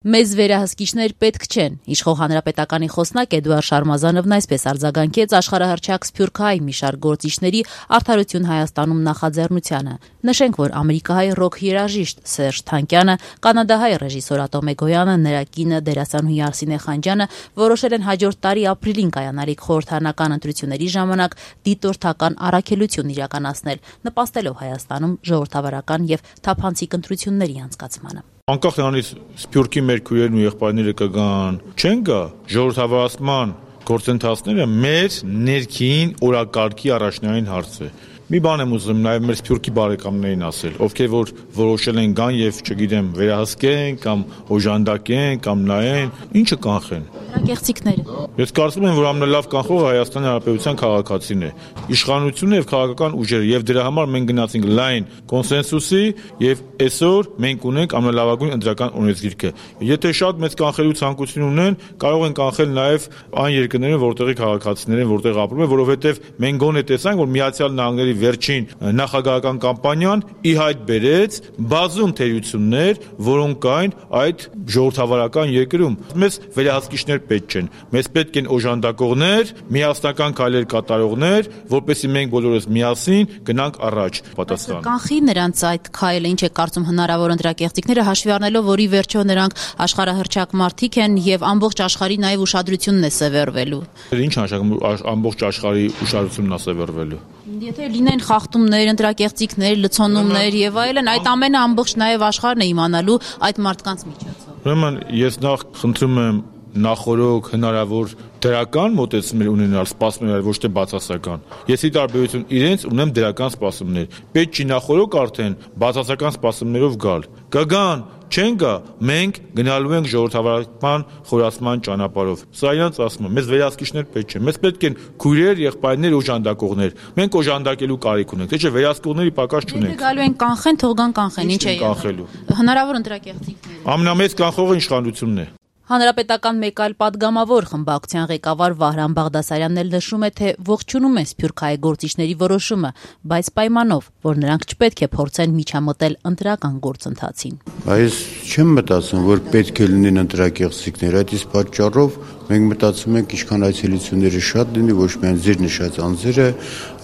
Մեզ վերահսկիչներ պետք չեն, իշխող հանրապետականի խոսնակ Էդուարդ Շարմազանովն այսպես արձագանքեց աշխարհահռչակ սփյուռքահայ մի շարք գործիչների Արդարություն Հայաստանում նախաձեռնությանը։ Նշենք, որ ամերիկահայ ռոք երաժիշտ Սերժ Թանկյանը, կանադահայ ռեժիսոր Ատոմ Էգոյանը, նրա կինը դերասանուհի Արսինե Խանջյանը որոշել են հաջորդ տարի ապրիլին կայանալիք խորհրդարանական ընտրությունների ժամանակ դիտորդական առաքելություն իրականացնել, նպաստելով Հայաստանում ժողովրդավարական եւ թափանցիկ ընտրությունների անցկացմանը։ Անկախ նրանից սփյուռքի մեր քույրերն ու եղբայրները կգան, չեն գա ժողովրդավարացման գործընթացները մեր ներքին օրակարգի առաջնային հարց է։ Մի բան եմ ուզում նաև մեր սփյուռքի բարեկամներին ասել, ովքեր որ որոշել են գան եւ չգիտեմ վերահսկեն կամ օժանդակեն կամ նայեն, ինչը կանխեն։ Կեղծիքները։ Ես կարծում եմ, որ ամենալավ կանխողը Հայաստանի Հանրապետության քաղաքացին է։ Իշխանությունը եւ քաղաքական ուժերը եւ դրա համար մենք գնացինք լայն կոնսենսուսի եւ այսօր մենք ունենք ամենալավագույն ընտրական օրենսգիրքը։ Եթե շատ մեծ կանխելու ցանկություն ունեն, կարող են կանխել նաեւ այն երկրները, որտեղի քաղաքացիներ են, որտեղ ապրում են, որովհետեւ մենք գոնե տեսանք, որ Միացյալ Նահանգների վերջին նախագահական կամպանիան ի հայտ բերեց բազում թերություններ, որոնք կային այդ ժողովրդավարական երկրում։ Մեզ վերահսկիչներ պետք չեն, մեզ պետք են օժանդակողներ, միասնական քայլեր կատարողներ, որպեսզի մենք բոլորս միասին գնանք առաջ։ Պատասխան։ Կանխի նրանց այդ քայլը, ինչ է կարծում հնարավոր ընտրակեղծիքները, հաշվի առնելով, որ ի վերջո նրանք աշխարհահռչակ մարդիկ են եւ ամբողջ աշխարհի նաեւ ուշադրությունն է սևեռվելու։ Ինչ նշանակում ամբողջ աշխարհի ուշադրությունն է սևեռվելու։ Եթե լինեն խախտումներ, ընտրակեղծիքներ, լցոնումներ եւ այլն, այդ ամենը ամբողջ նաեւ աշխարհն է իմանալու այդ մարդկանց միջոցով։ Ուրեմն ես նախ խնդրում եմ նախորոք հնարավոր դրական մոտեցումներ ունենալ, սպասումներ, ոչ թե բացասական։ Ես ի տարբերություն իրենց ունեմ դրական սպասումներ։ Պետք չի նախորոք արդեն բացասական սպասումներով գալ։ Կգան, չեն գա, մենք գնալու ենք ժողովրդավարական խորացման ճանապարհով։ Սա իրանց ասում եմ, մեզ վերահսկիչներ պետք չեն։ Մեզ պետք են քույրեր, եղբայրներ, օժանդակողներ։ Մենք օժանդակելու կարիք ունենք, թե չէ վերահսկողների պակաս չունենք։ Եթե գալու են կանխեն, թող գան կանխեն, ինչ է կանխելու։ Հնարավոր ընտրակեղծիքներ։ Ամենամեծ կանխողը իշխանությունն է։ Հանրապետական մեկ այլ պատգամավոր խմբակցության ղեկավար Վահրամ Բաղդասարյանն էլ նշում է, թե ողջունում է սփյուռքահայ գործիչների որոշումը, բայց պայմանով, որ նրանք չպետք է փորձեն միջամտել ընտրական գործընթացին։ Այս չեմ մտածում, որ պետք է լինեն ընտրակեղծիքներ, այդ իսկ պատճառով մենք մտածում ենք ինչքան այցելությունները շատ լինի, ոչ միայն ձեր նշած անձերը,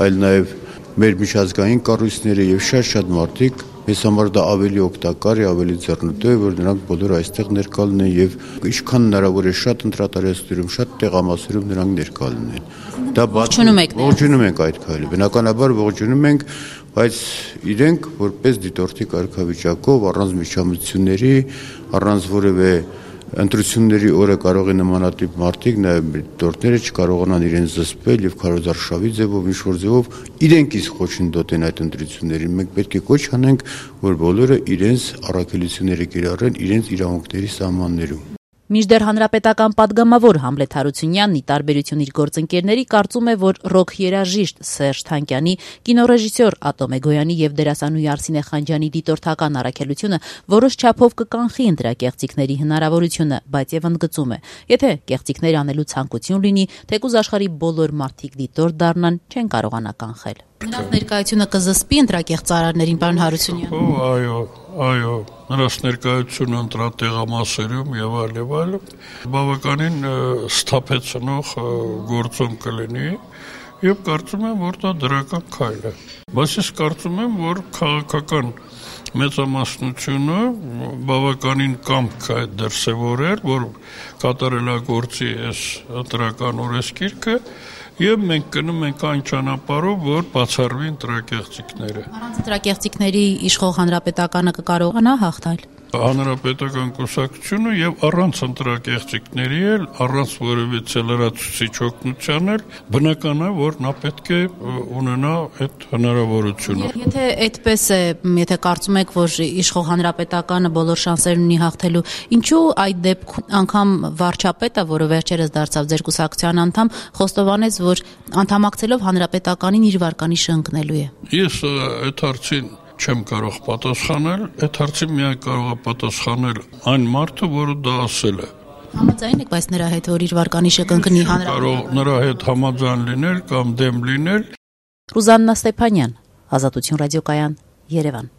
այլ նաև մեր միջազգային կառույցները եւ շատ մարդիկ, ես համար դա ավելի օգտակար է, ավելի ձեռնտու է, որ նրանք բոլորը այստեղ ներկա լինեն եւ ինչքան հնարավոր է շատ ընտրատարածքներում, շատ տեղամասերում նրանք ներկա լինեն։ Դա ողջունում ենք այդ քայլը։ Բնականաբար ողջունում ենք, բայց իրենք որպես դիտորդի կարգավիճակով առանց միջամտությունների, առանց որևէ ընտրությունների օրը կարող է նմանատիպ մարդիկ, նաև դիտորդները չկարողանան իրենց զսպել եւ քարոզարշավի ձևով, ինչ-որ ձևով իրենք իսկ խոչընդոտեն այդ ընտրություններին։ Մենք պետք է կոչ անենք, որ բոլորը իրենց առաքելությունները կիրառեն իրենց իրավունքների սահմաններում։ Մինչդեռ հանրապետական պատգամավոր Համլետ Հարությունյանն ի տարբերություն իր գործընկերների կարծում է, որ ռոք երաժիշտ Սերժ Թանկյանի, կինոռեժիսոր Ատոմ Էգոյանի եւ դերասանուհի Արսինե Խանջյանի դիտորդական առաքելությունը որոշ չափով կկանխի ընտրակեղծիքների հնարավորությունը, բայց եւ ընդգծում է. եթե կեղծիքներ անելու ցանկություն լինի, թեկուզ աշխարհի բոլոր մարդիկ դիտորդ դառնան, չեն կարողանա կանխել։ Նրանց ներկայությունը կզսպի ընտրակեղծարարներին, պարոն Հարությունյան։ Այո, նրանց ներկայությունը ընտրատեղամասերում եւ այլ բավականին սթափեցնող գործոն կլինի եւ կարծում եմ, որ դա դրական քայլ է։ Բայց ես կարծում եմ, որ քաղաքական մեծամասնությունը բավականին կամք է դրսևորել, որ կատարելագործի այս ընտրական օրենսգիրքը եւ մենք գնում ենք այն ճանապարհով, որ բացառվի ընտրակեղծիքները։ Առանց ընտրակեղծիքների իշխող հանրապետականը կկարողանա հաղթել։ Հանրապետական կուսակցությունը եւ առանց ընտրակեղծիքների էլ, առանց որևիցե լրացուցիչ օգնության էլ բնական է, որ նա պետք է ունենա այդ հնարավորությունը։ Եթե այդպես է, եթե կարծում եք, որ իշխող հանրապետականը բոլոր շանսեր ունի հաղթելու, ինչու այդ դեպքում անգամ վարչապետը, որը վերջերս դարձավ ձեր կուսակցության անդամ, խոստովանեց, որ անդամակցելով հանրապետականին իր վարկանիշը ընկնելու է։ Ես այդ հարցին չեմ կարող պատասխանել, այդ հարցին միայն կարող է պատասխանել այն մարդը, որը դա ասել է։ Համաձայն եք, բայց նրա հետ որ իր վարկանիշը կընկնի հանրապետական։ Նրա հետ համաձայն լինել կամ դեմ լինել։ Ռուզաննա Ստեփանյան, Ազատություն ռադիոկայան, Երևան։